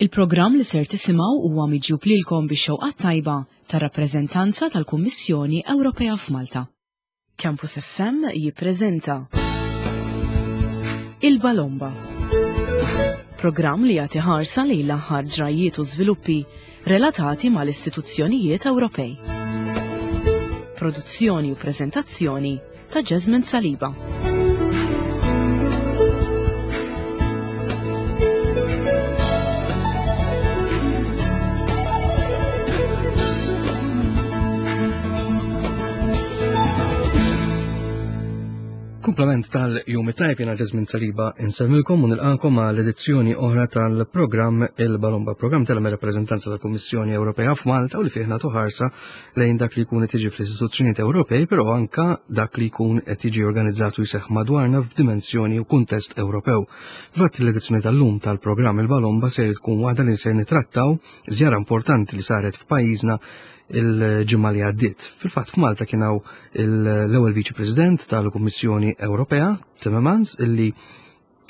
Il-programm li ser tisimgħu huwa miġjub lilkom bix-xewqat tajba tar-rappreżentanza tal-Kummissjoni Ewropea f'Malta. Campus FM jippreżenta Il-Balomba. Programm li jagħti ħarsa lejn l-aħħar ġrajjiet u żviluppi relatati mal-istituzzjonijiet Ewropej. Produzzjoni u preżentazzjoni ta' Jasmine Saliba. Kumplament tal-jum it-tajb jena Jasmine Saliba insemmilkom u nilqakom għal edizzjoni oħra tal-programm Il-Balomba, programm tal-rappreżentanza tal-Kummissjoni Ewropea f'Malta u li fih nagħtu ħarsa lejn dak li jkun qed jiġi fl-istituzzjonijiet Ewropej, però anka dak li jkun qed jiġi organizzat u jseħħ madwarna f'dimensjoni u kuntest Ewropew. Fatt l-edizzjoni tal-lum tal-programm Il-Balomba se tkun waħda li se nitrattaw żjara importanti li saret f'pajjiżna il-ġimgħa li għaddiet. Fil-fatt f'Malta kien hawn l-ewwel Viċi President tal-Kummissjoni Ewropea, Timmermans, illi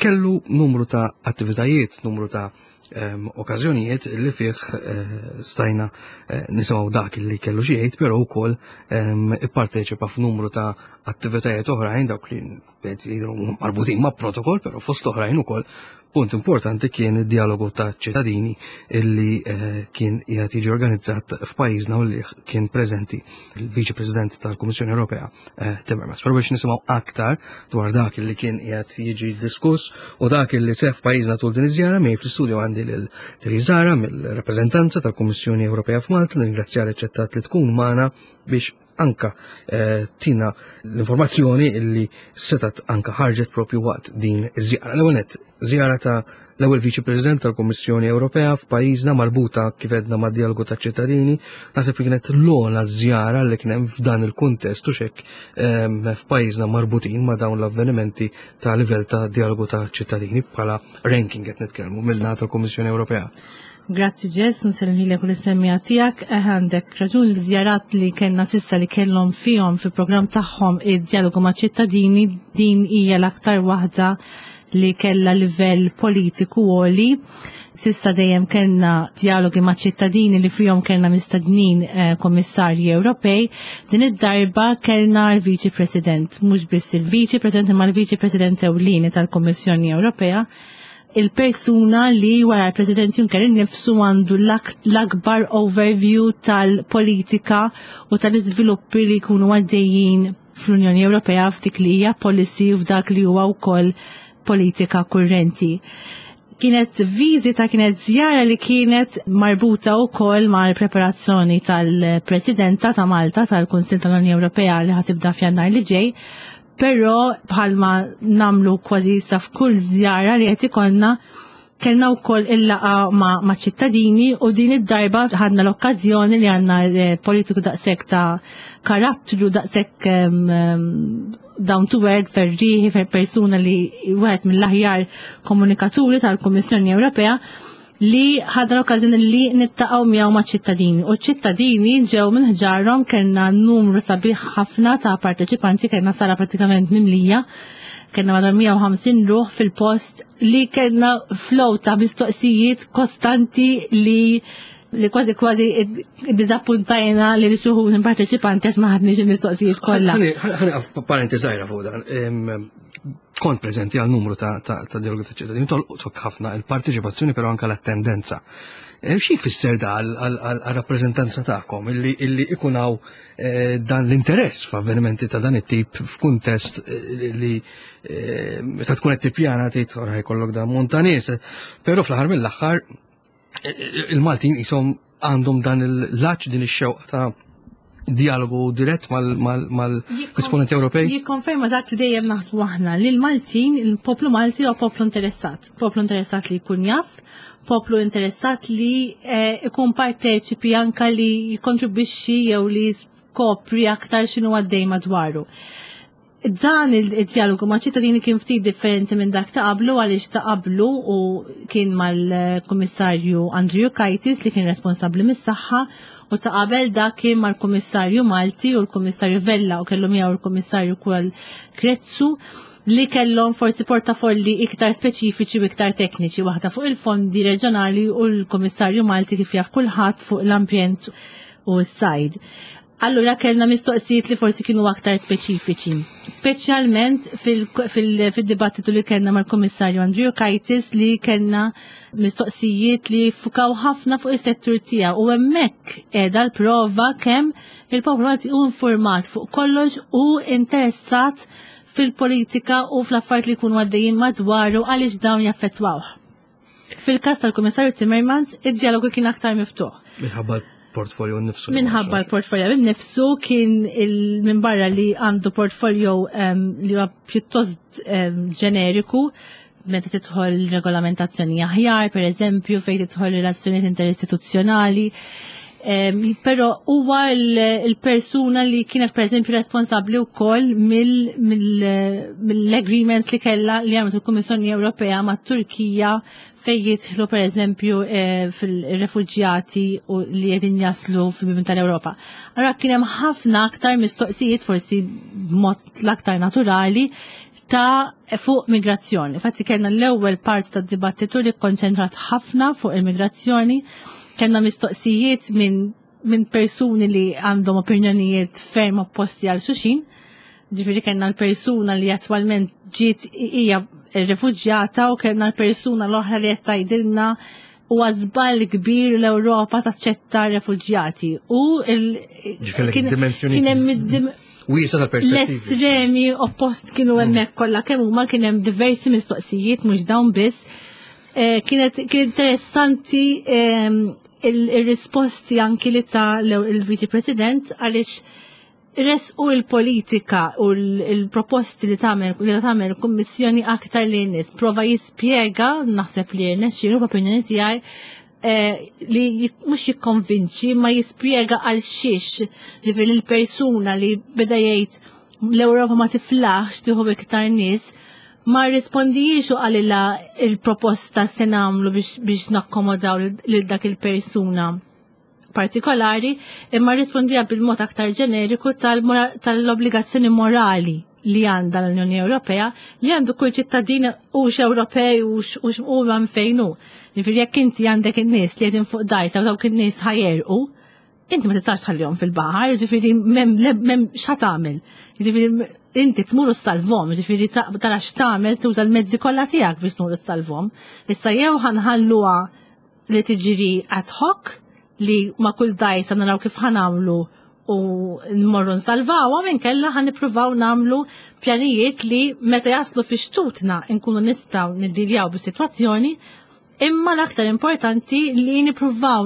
kellu numru ta' attivitajiet, numru ta' ehm, okkażjonijiet li fih eh, stajna eh, nisimgħu dak li kellu xi jgħid, però wkoll ehm, ipparteċipa f'numru ta' attivitajiet oħrajn dawk li jidhru marbutin ma' protokoll, però fost oħrajn ukoll punt importanti kien id-dialogu ta' ċittadini illi eh, kien qiegħed jiġi organizzat f'pajjiżna u li kien preżenti il-Viċi President tal-Kummissjoni Ewropea eh, Timmermans. Però biex nisimgħu aktar dwar dak li kien qiegħed jiġi diskuss u dak li sef pajjiżna tul din iż-żjara miegħi fl-istudju għandi lil Therese mill-rappreżentanza tal-Kummissjoni Ewropea f'Malta, nirringrazzja li ċettat li tkun magħna biex anka eh, tina l-informazzjoni illi setat anka ħarġet propju waqt din iż-żjara. L-ewwel nett, żjara ta' l-ewwel Viċi President tal-Kummissjoni Ewropea f'pajjiżna marbuta kif edna ma' dialogu ta' ċittadini, naħseb li kienet l-ogħla żjara li kien hemm f'dan il-kuntest u xek ehm, f'pajjiżna marbutin ma' dawn l-avvenimenti ta' livell ta' dialogu ta' ċittadini bħala ranking qed nitkellmu mill-naħa tal-Kummissjoni Ewropea. Grazzi Ġess, nselmilek u l-semmija tijak, eh, għandek raġun l-żjarat li kellna sissa li kellhom fihom fil-programm tagħhom id-dialogu ma' ċittadini din hija l-aktar waħda li kellha livell politiku għoli. Sissa dejjem kellna dialogi ma' ċittadini li fihom kellna mistednin eh, kommissarji Ewropej. Din id-darba kellna l-Viċi President, mhux biss il-Viċi President imma l-Viċi President ewlieni tal-Kummissjoni Ewropea il-persuna li wara l-President Juncker innifsu għandu l-akbar overview tal-politika u tal-iżviluppi li jkunu għaddejjin fl-Unjoni Ewropea f'dik li hija policy u f'dak li huwa wkoll politika kurrenti. Kienet viżita, kienet żjara li kienet marbuta wkoll mal-preparazzjoni tal-Presidenta ta' Malta tal-Kunsill tal-Unjoni Ewropea li ħatibda f'Jannar li ġej, Però bħalma namlu kważi issa f'kull żjara li qed ikollna kellna wkoll il-laqa ma', ma ċittadini u din id-darba ħadna l-okkażjoni li għandna eh, politiku daqshekk ta' karattru daqshekk down to earth ferriħi fer persuna li wieħed mill-aħjar komunikaturi tal-Kummissjoni Ewropea li ħadna l-okkażjoni li nittaqgħu miegħu ma' ċittadini. U ċittadini ġew minn ħġarhom kellna numru sabiħ ħafna ta' parteċipanti, kellna sala pratikament mimlija, kellna madwar 150 ruħ fil-post li kellna flow ta' mistoqsijiet kostanti li li kważi kważi dizappuntajna li xuħu parteċipanti għax ma ħadniex il-mistoqsijiet kollha. Ħani parenti żgħira fuq dan kont preżenti għal numru ta', ta, ta dialogu ta' ċittadini, tolqtok ħafna il-parteċipazzjoni però anka l-attendenza. Eh, xi jfisser da għal-rappreżentanza tagħkom illi, illi ikun hawn eh, dan l-interess f'avvenimenti ta' dan it-tip f'kuntest eh, li meta tkun qed tippjana tgħid ora jkollok dan montanis, però fl-aħħar mill-aħħar il-Maltin jisom għandhom dan il-laċ din ix-xewqa ta' dialogu dirett mal-esponenti Ewropej? Jikkonferma dak li dejjem naħsbu aħna li l-Maltin, il-poplu Malti huwa poplu interessat. Poplu interessat li jkun jaf, poplu interessat li eh, ikun parteċipi anka li jikkontribwixxi jew li skopri aktar x'inhu għaddej madwaru. Dan il-dialogu ma' ċittadini kien ftit differenti minn dak ta' qablu għaliex ta' qablu u kien mal-Kummissarju Andrew Kajtis li kien responsabbli mis-saħħa u ta' qabel dak kien mal-Kummissarju Malti u l-Kummissarju Vella u kellu miegħu l-Kummissarju kwal Krezzu. li kellhom forsi portafolli iktar speċifiċi u iktar tekniċi, waħda fuq il-fondi reġjonali u l-Kummissarju Malti kif jaf kulħadd fuq l-ambjent u s-sajd. Allura kellna mistoqsijiet li forsi kienu aktar speċifiċi. Speċjalment fil-dibattitu li kellna mal-Kummissarju Andriukaitis li kellna mistoqsijiet li fukaw ħafna fuq is-settur tiegħu u hemmhekk qiegħda l-prova kemm il-poplu Malti hu informat fuq kollox u interessat fil-politika u fl-affarijiet li jkunu għaddejjin madwaru għaliex dawn jaffettwawh. Fil-każ tal-Kummissarju Timmermans, id-dialogu kien aktar miftuħ. Minħabba l-portfolio nnifsu. Minħabba l-portfolio nnifsu kien minn barra li għandu portfolio li huwa pjuttost ġeneriku meta tidħol regolamentazzjoni aħjar, per eżempju, fejn tidħol relazzjonijiet interistituzzjonali. Però huwa il-persuna li kienet per eżempju responsabbli wkoll mill-agreements li kellha li għamlet il-Kummissjoni Ewropea mat-Turkija fejn jidħlu per eżempju fil-refuġjati u li qegħdin jaslu fil-bibien tal-Ewropa. Allora kien hemm ħafna aktar mistoqsijiet forsi b'mod l-aktar naturali ta' fuq migrazzjoni. Infatti kellna l-ewwel part tad-dibattitu li kkonċentrat ħafna fuq il-migrazzjoni, kellna mistoqsijiet minn persuni li għandhom opinjonijiet ferm opposti għal xulxin. Ġifieri kellna l-persuna li attwalment ġiet hija refuġjata u kellna l-persuna l-oħra li qed tgħidilna huwa żball kbir l-Ewropa taċċetta refuġjati. U Ġifieri dimensjoni kien hemm wiesa tal-perspettivi. L-estremi oppost kienu hemmhekk kollha kemm huma, kien hemm diversi mistoqsijiet mhux dawn biss. Kienet kien interessanti il-risposti anki li ta' il-Viċi President għaliex resqu il-politika u il-proposti li tagħmel il-Kummissjoni aktar li nies. Prova jispjega, naħseb li rnexxielu f'opinjoni tiegħi, li mhux jikkonvinċi ma jispjega għal xiex li il-persuna li beda jgħid l-Ewropa ma tiflaħx tieħu iktar nies ma rispondijiex u qalilha il-proposta se nagħmlu biex nakkomodaw lil dak il-persuna partikolari, imma rispondija bil-mod aktar ġeneriku tal-obbligazzjoni morali li għandha l-Unjoni Ewropea li għandu kull ċittadin hux Ewropej hux u man fejn hu. Jiġifieri jekk inti għandek in-nies li qegħdin fuq dajsa u dawk in-nies ħa jegħrqu, inti ma tistax tħallihom fil-baħar, jiġifieri m'hemm x'ħa tagħmel. Jiġifieri inti tmur u ssalvahom, jiġifieri tara x'tagħmel, tuża l-mezzi kollha tiegħek biex tmur u ssalvahom. Issa jew ħa nħalluha li tiġri ad hoc li ma' kull dajsa naraw kif ħa nagħmlu u nmorru nsalvawha, minn kella ħa nippruvaw nagħmlu pjanijiet li meta jaslu fi xtutna nkunu nistgħu niddiljaw bis-sitwazzjoni, imma l-aktar importanti li nippruvaw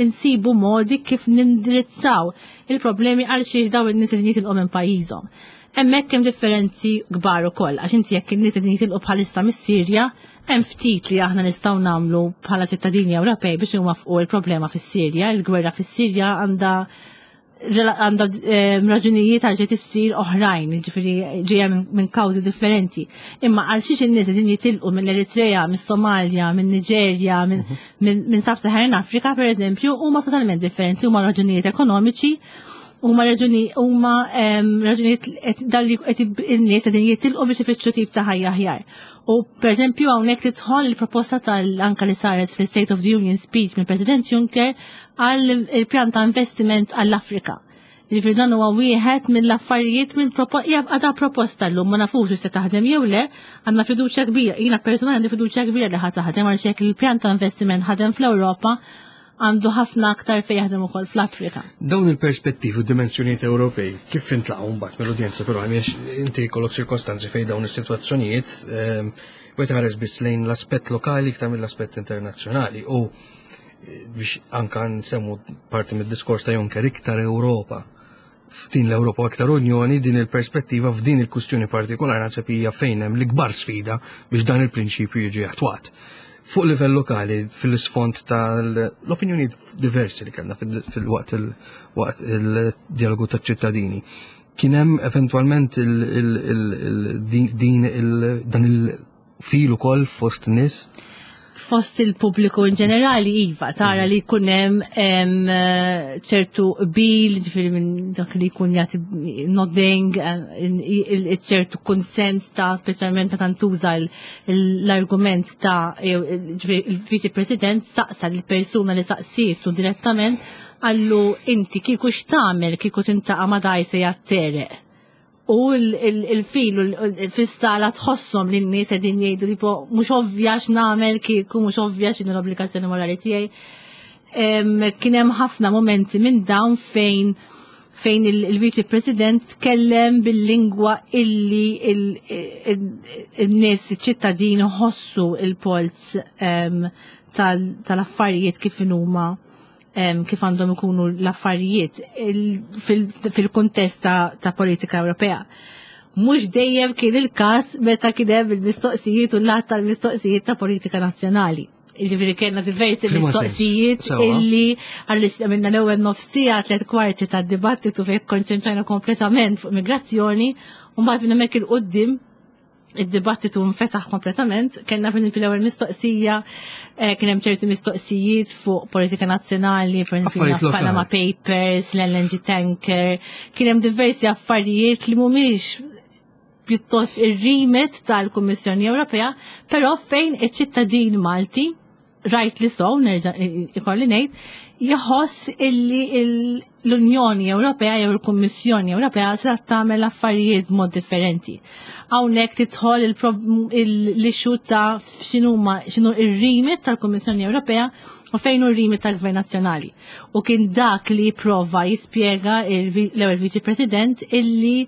insibu modi kif nindirizzaw il-problemi għal xiex daw in-nies li jitilqu minn pajjiżhom. Hemmhekk hemm differenzi kbar ukoll, għax inti jekk in-nies li jitilqu bħalissa mis-Sirja, hemm ftit li aħna nistgħu nagħmlu bħala ċittadini Ewropej biex nwaffqu il-problema fis-Sirja. Il-gwerra fis-Sirja għandha raġunijiet għal ġiet issir oħrajn, ġifieri ġejja minn kawżi differenti. Imma għal xiex in-nies qegħdin jitilqu mill-Eritrea, mis-Somalja, minn Niġerja, minn Sub-Saharan Afrika, per eżempju, huma totalment differenti, huma raġunijiet ekonomiċi, huma raġunijiet qed dalli qed in-nies qegħdin jitilqu biex ifittxu tip ta' ħajja aħjar. U per eżempju hawnhekk tidħol il-proposta tal-anka li saret fl-State of the Union speech mill-President Juncker għal il-pjan ta' investiment għall-Afrika. Jiġifieri dan huwa wieħed mill-affarijiet minn hija għadha proposta llum, ma nafux se taħdem jew le, għandna fiduċja kbira. Jiena personali għandi fiduċja kbira li ħa taħdem għal xek il-pjan ta' investiment ħadem fl-Ewropa, għandu ħafna aktar fejn jaħdem ukoll fl-Afrika. Dawn il-perspettivi u dimensjonijiet Ewropej kif intlaqgħu mbagħad mill-udjenza, però għaliex inti jkollok ċirkostanzi fejn dawn is-sitwazzjonijiet wieħed ħares biss lejn l-aspett lokali iktar mill-aspett internazzjonali u biex anka nsemmu parti mid-diskors ta' Juncker, iktar Ewropa, f'din l-Ewropa u iktar Unjoni, din il-perspettiva f'din il-kustjoni partikolari naħseb hija fejn hemm l-ikbar sfida biex dan il-prinċipju jiġi attwat. Fuq livell lokali, fil-isfond tal-opinjoni diversi li kellna fil-waqt waqt il-dialogu taċ-ċittadini, kien hemm eventwalment dan il-fil ukoll fost nies? Fost il-pubbliku in ġenerali, iva, tara li jkun hemm ċertu qbil, ġifieri minn dak li jkun jagħti nodding, ċertu konsens ta' speċjalment meta ntuża l-argument ta' ġifieri il-Viċi President saqsa lill-persuna li saqsietu direttament qallu inti kieku x'tagħmel kieku tintaqa' ma' dgħajsa jgħat-tereq. U il-fil fis-sala tħosshom li n-nies qegħdin jgħidu tipo mhux ovvja x'nagħmel kieku, mhux ovvja x'inhu l-obbligazzjoni morali tiegħi. Kien hemm ħafna momenti minn dawn fejn il-Viċi President tkellem bil-lingwa illi il-nies iċ-ċittadini ħossu il-polz tal-affarijiet kif inhuma kif għandhom ikunu l-affarijiet fil-kuntest ta' politika Ewropea. Mhux dejjem kien il-każ meta kien hemm il-mistoqsijiet u l-att tal-mistoqsijiet ta' politika nazzjonali. Jiġifieri kellna diversi mistoqsijiet illi għaliex għamilna l-ewwel nofs siegħa 3/4 tad-dibattitu fejn konċentrajna kompletament fuq migrazzjoni u mbagħad minn hemmhekk 'il quddiem id-dibattitu nfetaħ kompletament. Kellna per esempio l-ewwel mistoqsija, kien hemm ċerti mistoqsijiet fuq politika nazzjonali, per esempio Panama Papers, l-LNG tanker, kien hemm diversi affarijiet li mhumiex pjuttost ir-remit tal-Kummissjoni Ewropea, però fejn iċ-ċittadin Malti, rajt li so, nerġa' ikolli ngħid, jħoss illi l-Unjoni Ewropea jew il-Kummissjoni Ewropea se tagħmel affarijiet b'mod differenti. Hawnhekk tidħol l-issue ta' x'inhuma x'inhu ir-remit tal-Kummissjoni Ewropea u fejn hu r-remit tal-Gvern Nazzjonali. U kien dak li prova jispjega l-ewwel Viċi President illi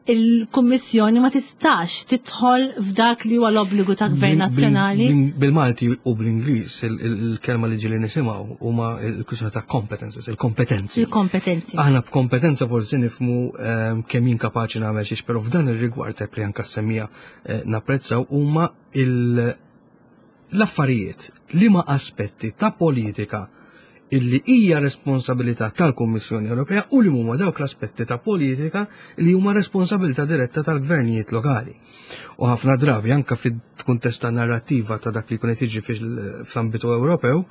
il-Kummissjoni ma tistax tidħol f'dak li huwa l-obbligu ta' gvern nazzjonali. Bil-Malti u bl-Ingliż il-kelma li ġieli nisimgħu huma l-kwistjoni ta' competences, il-kompetenzi. Il-kompetenzi. Aħna b'kompetenza forsi nifhmu kemm jien kapaċi nagħmel xiex, però f'dan ir-rigward li anke semmija napprezzaw huma l-affarijiet li ma aspetti ta' politika illi hija responsabilità tal-Kummissjoni Ewropea u li huma dawk l-aspetti ta' politika li huma responsabilità diretta tal-gvernijiet lokali. U ħafna drabi anka fil-kuntest ta' narrattiva ta' dak li jkun qed jiġi fl-ambitu Ewropew,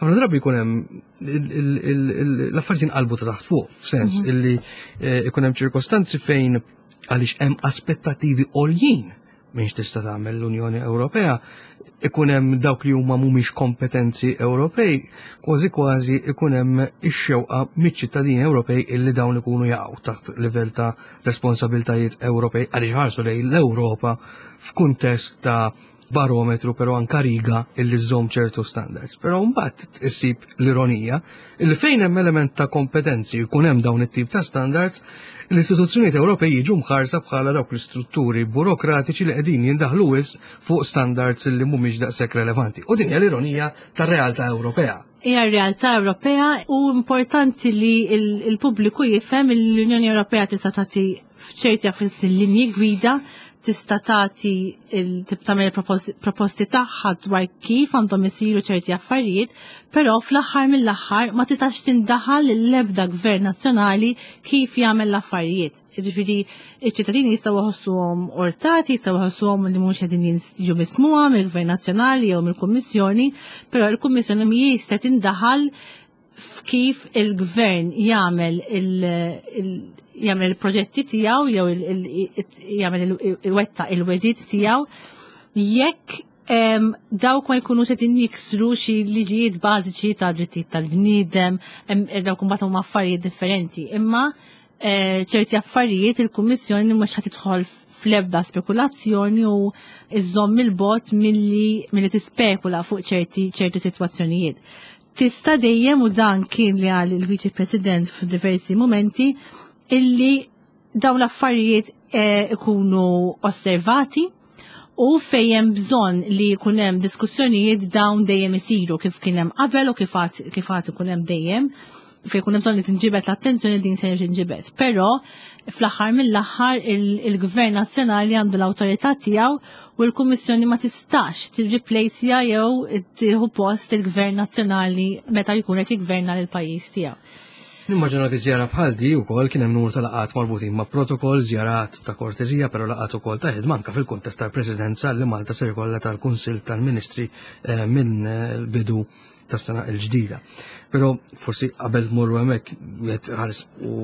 ħafna drabi jkun hemm l-affarijiet inqalbu ta' taħt fuq, f'sens illi ikun hemm ċirkostanzi fejn għaliex hemm aspettativi għoljin minn x'tista' tagħmel l-Unjoni Ewropea, ikun hemm dawk li huma mhumiex kompetenzi Ewropej, kważi kważi ikun hemm ix-xewqa miċ-ċittadini Ewropej illi dawn ikunu jaqgħu taħt livell ta' responsabiltajiet Ewropej għaliex ħarsu lejn l-Ewropa f'kuntest ta' barometru però anka riga illi żżomm ċertu standards. Però mbagħad issib l-ironija illi fejn hemm element ta' kompetenzi jkun hemm dawn it-tip ta' standards, l-istituzzjonijiet Ewropej jiġu mħarsa bħala dawk l-istrutturi burokratiċi li qegħdin jindaħlu wisq fuq standards li mhumiex daqshekk relevanti. U din hija l-ironija tar-realtà Ewropea. Hija r-realtà Ewropea u importanti li il-pubbliku jifhem l-Unjoni Ewropea tista' tagħti f'ċerti affarijiet linji gwida, tista' tagħti tagħmel proposti tagħha dwar kif għandhom isiru ċerti affarijiet, però fl-aħħar mill-aħħar ma tistax tindaħal l-ebda gvern nazzjonali kif jagħmel l-affarijiet. Jiġifieri iċ-ċittadini jistgħu jħossuhom urtati, jistgħu jħossuhom li mhux qegħdin jiġu mismuha mill-Gvern Nazzjonali jew mill-Kummissjoni, però l-Kummissjoni mhijiex se tindaħal f'kif il-gvern jagħmel il-proġetti tiegħu jew jagħmel iwettaq il-wegħdiet tiegħu jekk dawk ma jkunux qegħdin jiksru xi liġijiet bażiċi ta' drittijiet tal-bniedem, dawk imbagħad huma affarijiet differenti. Imma ċerti affarijiet il-Kummissjoni mhux ħa tidħol fl-ebda spekulazzjoni u iżżomm il-bogħod milli tispekula fuq ċerti sitwazzjonijiet. Tista' dejjem, u dan kien li qal il-Viċi President f'diversi momenti, illi dawn l-affarijiet ikunu osservati u fejn hemm bżonn li jkun hemm diskussjonijiet dawn dejjem isiru kif kien hemm qabel u kif għad ikun hemm dejjem, fejn ikun hemm bżonn li tinġibed l-attenzjoni din se tinġibed. Però fl-aħħar mill-aħħar il-Gvern Nazzjonali għandu l-awtorità tiegħu u l-Kummissjoni ma tistax tirriplejsja jew tieħu post il-Gvern Nazzjonali meta jkun qed jigverna lil pajjiż tiegħu. Nimmaġina fi żjara bħal di wkoll kien hemm numru ta' laqgħat marbutin ma' protokoll, żjarat ta' kortesija, però laqgħat ukoll ta' ħidma anke fil-kuntest tal-Presidenza li Malta ser ikollha tal-Kunsill tal-Ministri eh, minn eh, bidu tas-sena l-ġdida. Però forsi qabel morru hemmhekk wieħed ħares u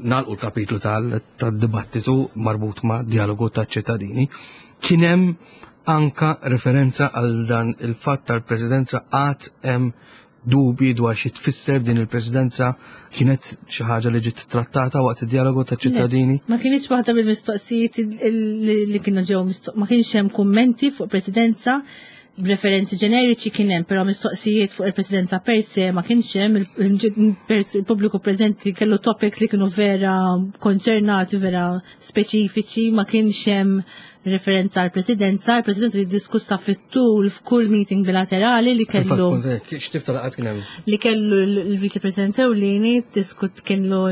nagħlqu l-kapitlu tad-dibattitu marbut ma' dialogu taċ-ċittadini. Kien hemm anka referenza għal dan il-fatt tal-Presidenza għad hemm dubji dwar xi tfisser din il-presidenza kienet xi ħaġa li ġiet trattata waqt id-dialogu ta' ċittadini? Ma kienx waħda mill-mistoqsijiet li kienu ġew ma kienx hemm kummenti fuq presidenza b'referenzi ġeneriċi kien hemm, però mistoqsijiet fuq il-presidenza per se ma kienx hemm il-pubbliku preżenti kellu topics li kienu vera konċernati, vera speċifiċi, ma kienx hemm referenza għal presidenza, il-presidenza li diskussa fit-tul f'kull meeting bilaterali li kellu. X'tip ta' laqgħat kien hemm? Li kellu l-Viċi President Ewlieni diskut kienlu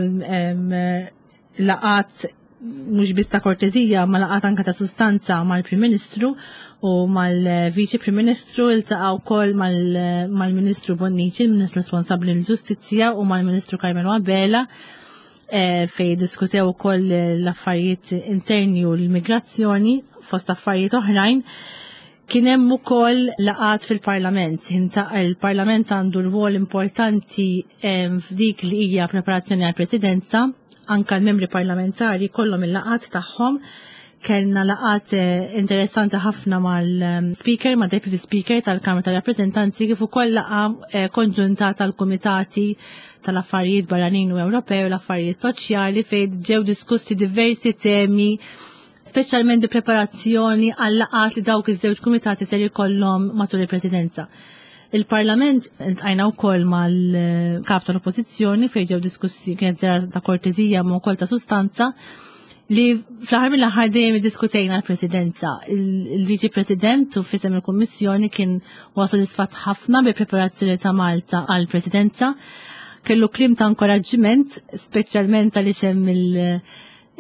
laqgħat mhux biss ta' kortezija ma laqgħat anke ta' sustanza mal-Prim Ministru u mal-Viċi Prim Ministru iltaqgħu wkoll mal-Ministru Bonnici, il-Ministru responsabbli l-Ġustizzja u mal-Ministru Carmelo Abela Eh, fej diskutew ukoll l-affarijiet interni u l-immigrazzjoni fost affarijiet oħrajn. Kien hemm ukoll laqat fil-Parlament. Il-Parlament għandu rwol importanti eh, f'dik li hija preparazzjoni għall-Presidenza, anka l-membri parlamentari kollhom il-laqat tagħhom kellna laqat eh, interessanti ħafna mal-speaker, ma' deputy speaker tal-Kamra tal-Rappresentanti kif ukoll laqa eh, konġunta tal-kumitati tal-affarijiet barranin u Ewropew u l-affarijiet soċjali fejn ġew diskussi diversi temi speċjalment bi preparazzjoni għal laqat li dawk iż-żewġ kumitati ser jkollhom matul il-presidenza. Il-Parlament intqajna wkoll mal-kap tal-Oppożizzjoni fejn ġew diskussi kienet żjara ta' kortezija ma' wkoll ta' sustanza li fl-aħħar mill-aħħar dejjem iddiskutejna l-Presidenza. Il-Viċi President u fisem il-Kummissjoni kien huwa sodisfatt ħafna bi preparazzjoni ta' Malta għall-Presidenza. Kellu kliem ta' inkoraġġiment, speċjalment għaliex hemm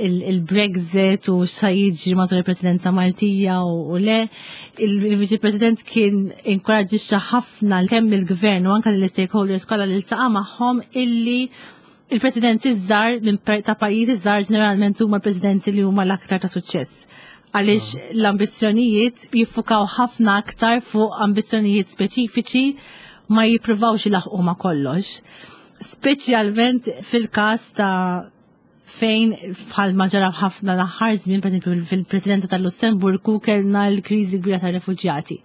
il-Brexit u xa jiġri matul il-Presidenza Maltija u le. Il-Viċi President kien inkoraġġixxa ħafna kemm il-Gvern u anke l-stakeholders kollha li ltaqa' magħhom illi il-presidenzi żgħar ta' pajjiżi żgħar ġeneralment huma presidenzi li huma l-aktar ta' suċċess. Għaliex ah. l-ambizzjonijiet jiffukaw ħafna aktar fuq ambizzjonijiet speċifiċi ma jippruvawx ilaħqu ma' kollox. Speċjalment fil-każ ta' fejn bħal ma ġara ħafna l-aħħar żmien, pereżempju fil-Presidenza tal-Lussemburgu kellna l-kriżi kbira tar-refuġjati.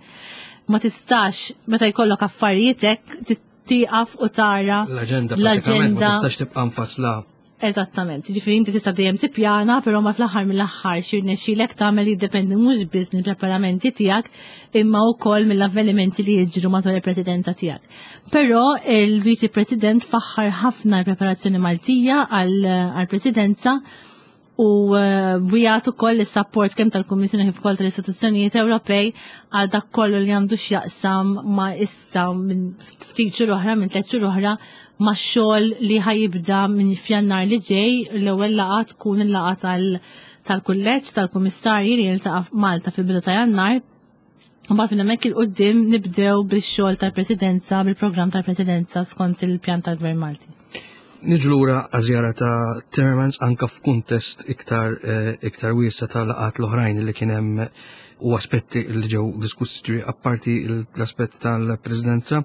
Ma tistax meta jkollok affarijietek tieqaf u tara l-aġenda. L-aġenda ma tistax tibqa' mfassla. Eżattament, ġifieri inti tista' dejjem tippjana, però ma fl-aħħar mill-aħħar xi rnexxielek tagħmel jiddependi mhux biss mill-preparamenti tiegħek imma wkoll mill-avvenimenti li jiġru matul il-presidenza tiegħek. Però il-Viċi President faħħar ħafna l-preparazzjoni Maltija għall-presidenza u eh, wijat ukoll is-sapport kemm tal-Kummissjoni kif ukoll tal-istituzzjonijiet Ewropej għal dak kollu li għandu x'jaqsam ma' issa minn ftit xhur oħra minn tliet xhur oħra ma' xogħol li ħajibda minn f'Jannar li ġej l-ewwel laqgħa tkun il-laqgħa tal-kulleġġ tal-kummissarji li jiltaqa' Malta fil-bidu ta' Jannar. Mbagħad minn hemmhekk il-qudiem nibdew bix-xogħol tal-Presidenza, bil-programm tal-Presidenza skont il-pjan tal-Gvern Malti. Niġu lura għażjara ta' Timmermans anka f'kuntest iktar eh, iktar wiesa ta' laqat l-oħrajn li kien hemm u aspetti li ġew diskussi apparti l-aspett tal-Presidenza,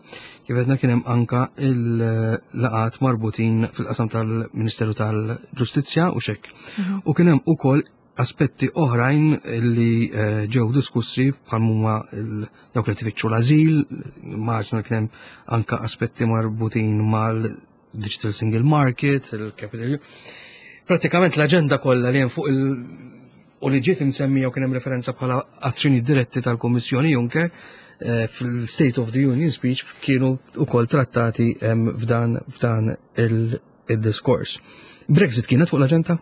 kif għedna kien hemm anka il-laqat marbutin fil-qasam tal-Ministeru tal-Ġustizzja u xek. Mhm. U kien hemm ukoll aspetti oħrajn li eh, ġew diskussi bħal huma dawk li tfittxu l-azil, immaġna kien hemm anka aspetti marbutin mal-Digital Single Market, il-Capital. Pratikament l-aġenda kollha li hemm fuq il- u li ġiet imsemmija u kien hemm referenza bħala azzjoni diretti tal-Kummissjoni Juncker eh, fil-State of the Union speech kienu ukoll trattati f'dan f'dan il-diskors. Brexit kienet fuq l-aġenda?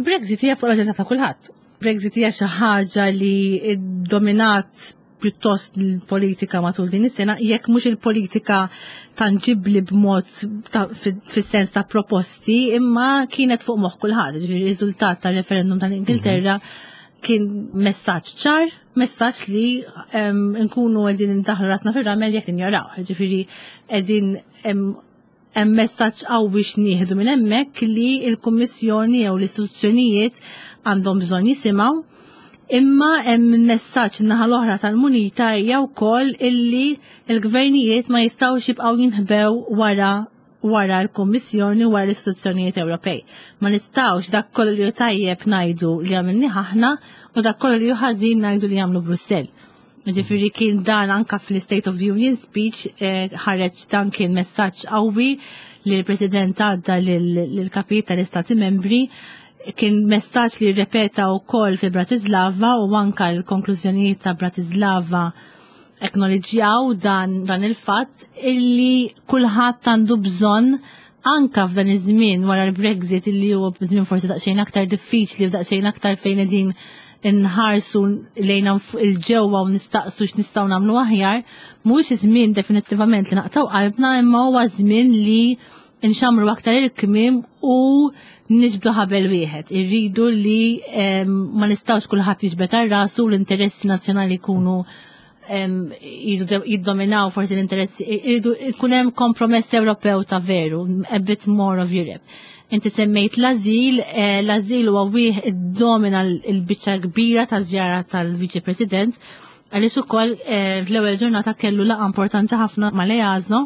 Brexit hija fuq l-aġenda ta' kulħadd. Brexit hija xi ħaġa li dominat pjuttost l-politika matul din is-sena, jekk mhux il-politika tanġibbli b'mod fis-sens ta' proposti, imma kienet fuq moħħ kulħadd, ġifieri riżultat tar-referendum tal-Ingilterra kien messaġġ ċar, messaġġ li nkunu qegħdin indaħlu rasna fir-ramel jekk injoraw, ġifieri qegħdin Hemm messaġġ qawwi x'nieħdu minn hemmhekk li l-Kummissjoni jew l-istituzzjonijiet għandhom bżonn jisimgħu. Imma hemm messaġġ naħa l-oħra tal-munita hija wkoll illi l-gvernijiet ma jistgħux jibqgħu jinħbew wara wara l-Kummissjoni wara l-istituzzjonijiet Ewropej. Ma nistgħux dak kollu li hu tajjeb ngħidu li għamilni aħna u dak kollu li hu ħażin ngħidu li jagħmlu Brussell. Ġifieri kien dan anka fl-State of the Union speech eh, ħareġ dan kien messaġġ qawwi li l-President għadda lill-kapijiet tal-Istati membri kien messaġġ li rrepeta wkoll fi Bratislava u anka l-konklużjonijiet ta' Bratislava acknowledġjaw dan, dan il-fatt illi kulħadd għandu bżonn anka f'dan iż-żmien wara l-Brexit illi huwa żmien forsi daqsxejn aktar diffiċli u daqsxejn aktar fejn qegħdin nħarsu lejna il-ġewwa u nistaqsu x'nistgħu nagħmlu aħjar, mhuwiex żmien definittivament li naqtaw qalbna imma huwa żmien li nxamru aktar il-kmim u niġbdu ħabel wieħed. Irridu li ma nistgħux kulħadd jiġbed għal rasu l-interessi nazzjonali jkunu jiddominaw forsi l-interessi, irridu jkun hemm kompromess Ewropew ta' veru, a bit more of Europe. Inti semmejt l-azil, eh, l-azil huwa wieħed iddomina l-biċċa kbira ta' żjara tal-Viċi President, għaliex ukoll eh, fl-ewwel ġurnata kellu laqgħa importanti ħafna mal-EASO,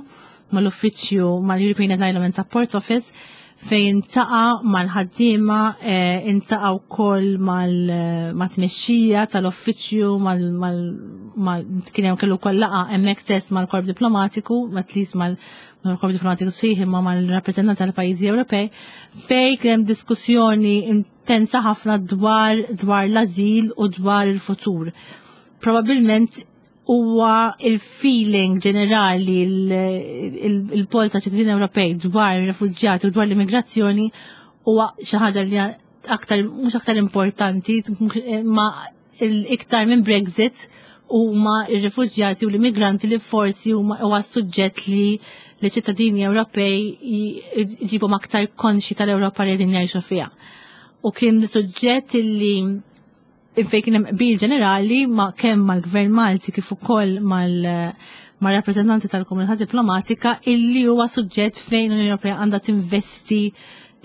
mal-uffiċċju mal-European Asylum and Support Office fejn intaqa' mal-ħaddiema, eh, intaqa' wkoll eh, mat-tmexxija tal-uffiċċju mal kien hemm kellu wkoll laqgħa hemmhekk stess mal-korp diplomatiku, at least mal-korp diplomatiku sħiħ imma mal-rappreżentanti tal-pajjiżi Ewropej, fejn kien hemm diskussjoni intensa ħafna dwar dwar l-ażil u dwar il-futur. Probabilment huwa il-feeling ġenerali il-polza ċittadini Ewropej dwar ir-refuġjati u dwar l-immigrazzjoni huwa xi ħaġa li aktar mhux aktar importanti ma iktar minn Brexit huma r-refuġjati u l-immigranti li forsi huma huwa suġġett li li ċittadini Ewropej jġibhom aktar konxi tal-Ewropa li qegħdin jgħixu fiha. U kien suġġett li fejn kien hemm qbil ġenerali ma' kemm mal-Gvern Malti kif ukoll mal-rappreżentanti tal-komunità diplomatika illi huwa suġġett fejn l-Unjoni Ewropea għandha tinvesti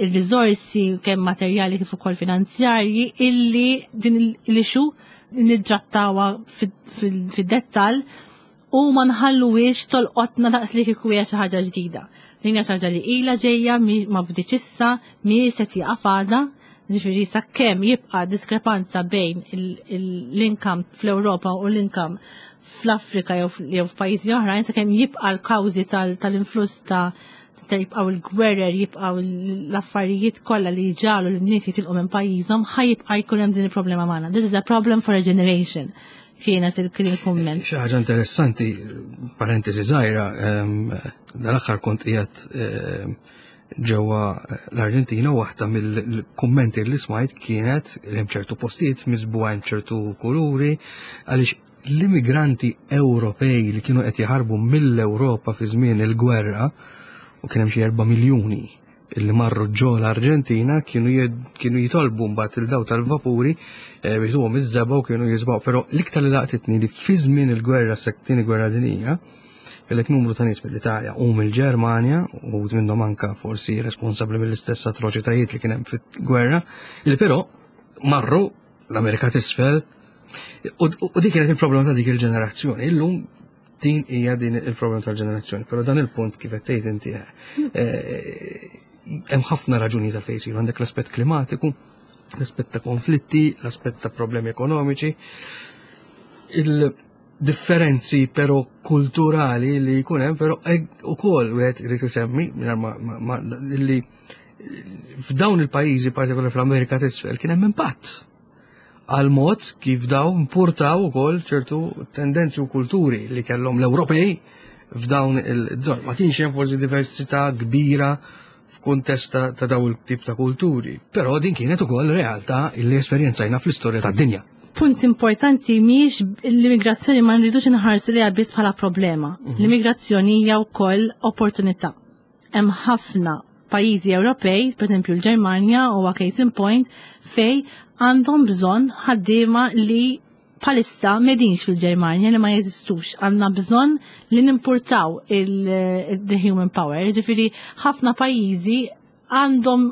il-riżorsi kemm materjali kif ukoll finanzjarji illi din l-issue nidtrattawha fid-dettall u ma nħalluwiex tolqotna daqs li kieku hija xi ħaġa ġdida. Din hija xi ħaġa li ilha ġejja ma bdietx issa, mhi se tieqaf għada, ġifieri sakemm jibqa' diskrepanza bejn l-income fl-Ewropa u l-income fl-Afrika jew f'pajjiżi oħrajn sakemm jibqa' l-kawżi tal-influss ta' jibqgħu l-gwerer, jibqgħu l-affarijiet kollha li jġagħlu lin-nies jitilqu minn pajjiżhom, ħa jibqa' jkun hemm din il-problema magħna. This is a problem for a generation kienet il-kumment. Xi ħaġa interessanti, parentesi żgħira, dal-aħħar kont qiegħed ġewwa l-Arġentina waħda mill-kummenti li smajt kienet li hemm ċertu postijiet miżbugħin ċertu kuluri għaliex l-immigranti Ewropej li kienu qed jaħarbu mill-Ewropa fi żmien il-gwerra u kien hemm xi 4 miljuni illi marru ġo l-Arġentina kienu kienu jitolbu mbagħad il-daw tal-vapuri eh, biex tuhom iż-żebgħa u kienu jiżbgħu. Però l-iktar li laqtitni li fi żmien il-gwerra tieni gwerra dinija kellek numru ta' nies mill-Italja u mill-Ġermanja u minnhom anka forsi responsabbli mill-istess atroċitajiet li kien hemm fil-gwerra, li però marru l-Amerika t'isfel u dik kienet il-problema ta' dik il-ġenerazzjoni. Illum din hija din il-problema tal-ġenerazzjoni, però dan il-punt kif qed tgħid inti eh, hemm ħafna raġuni ta' fejn isiru għandek l-aspett klimatiku, l-aspett ta' konflitti, l-aspett ta' problemi ekonomiċi. Il-differenzi però kulturali li jkun hemm però ukoll wieħed irid isemmi li f'dawn il-pajjiżi partikolarment fl-Amerika t'isfel kien hemm impatt għal mod kif daw importaw ukoll ċertu tendenzi u kulturi li kellhom l-Ewropej f'dawn il-żon. Ma kienx hemm forsi diversità kbira f'kuntest ta' daw il-tip ta' kulturi, però din kienet ukoll realtà li esperjenzajna fl-istorja tad-dinja. Punt importanti mhijiex l-immigrazzjoni ma nridux inħarsu li biss bħala problema. L-immigrazzjoni hija wkoll opportunità. Hemm ħafna pajjiżi Ewropej, pereżempju l-Ġermanja huwa case in point, fej għandhom bżonn ħaddiema li bħalissa m'qegħdinx fil-Ġermanja li ma jeżistux. Għandna bżonn li nimpurtaw il-the human power. Ġifieri ħafna pajjiżi għandhom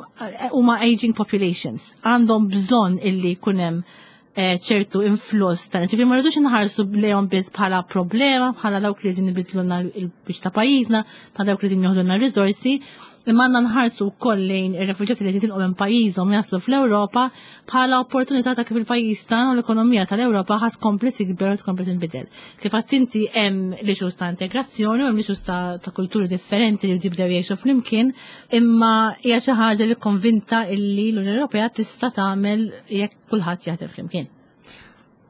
huma aging populations, għandhom bżonn illi jkun hemm ċertu influss ta' ġifieri ma rridux inħarsu lejhom biss bħala problema, bħala dawk li qegħdin ibidlulna l-biċ ta' pajjiżna, bħala dawk li qegħdin joħdulna r-riżorsi, imma għandna nħarsu wkoll lejn ir-refuġjati li qed jitilqu minn pajjiżhom jaslu fl-Ewropa bħala opportunità ta' kif il-pajjiż tagħna u l-ekonomija tal-Ewropa ħadd tkompli tikber u tkompli tinbidel. Kif għadt inti hemm l-issues ta' integrazzjoni u hemm l-issues ta' kulturi differenti li jibdew jgħixu flimkien, imma hija xi ħaġa li konvinta illi l-Unjoni Ewropea tista' tagħmel jekk kulħadd jaħdem flimkien.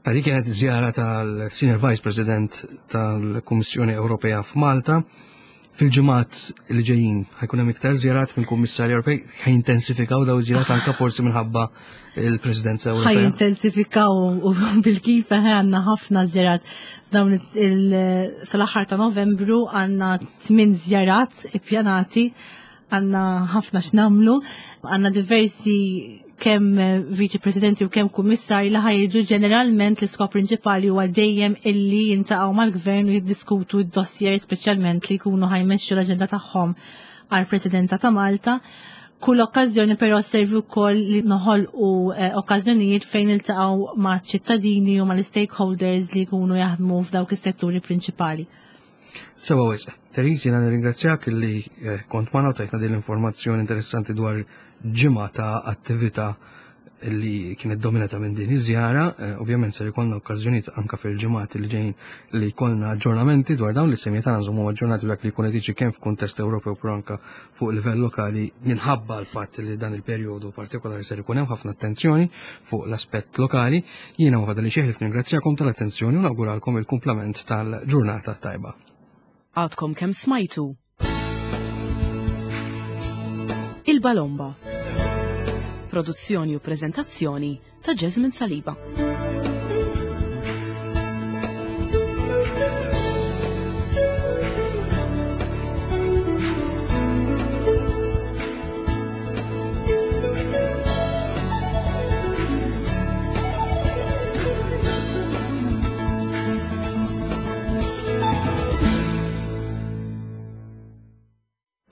Dik kienet żjara tal-Senior Vice President tal-Kummissjoni Ewropea f'Malta. Fil-ġimgħat li ġejjin ħajkun hemm iktar żjarat mill-Kummissarji Ewropej ħajintensifikaw daw iż-żjarat anke forsi minħabba il-Presidenza Ewropea. Ħajintensifikaw u bil-kif għandna ħafna żjarat dawn sal-aħħar ta' Novembru għandna tmien żjarat ippjanati għandna ħafna x'namlu, għandna diversi kemm viċi presidenti u kemm kummissarji li ħajġu ġeneralment l-iskop prinċipali huwa dejjem illi jintaqgħu mal-gvern u jiddiskutu d-dossier speċjalment li jkunu ħajmexxu l-aġenda tagħhom għall-Presidenza ta' Malta. Kull okkażjoni però servi wkoll li noħolqu okkażjonijiet fejn niltaqgħu ma' ċittadini u mal-stakeholders li jkunu jaħdmu f'dawk is-setturi prinċipali. Sewa wisq. Therese, jiena nirringrazzjak li kont magħna u tajtna din l-informazzjoni interessanti dwar ġimgħa ta' attività li kienet dominata minn din iż-żjara. Ovvjament ser ikollna okkażjonijiet anka fil-ġimgħat li ġejjin li jkollna aġġornamenti dwar dawn li semmiet tagħna nżommu aġġornati dak li jkun qed jiġri kemm f'kuntest Ewropew però anka fuq livell lokali minħabba l-fatt li dan il-perjodu partikolari ser ikun hemm ħafna attenzjoni fuq l-aspett lokali. Jiena ma fadali xejn ringrazzjakom tal-attenzjoni u nawguralkom il-kumplament tal-ġurnata tajba. Għadkom kemm smajtu Il-Balomba. Produzzjoni u preżentazzjoni ta' Jasmine Saliba.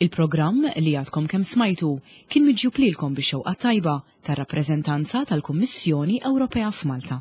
Il-programm li għadkom kemm smajtu kien miġjub lilkom bix-xewqa tajba tar-rappreżentanza tal-Kummissjoni Ewropea f'Malta.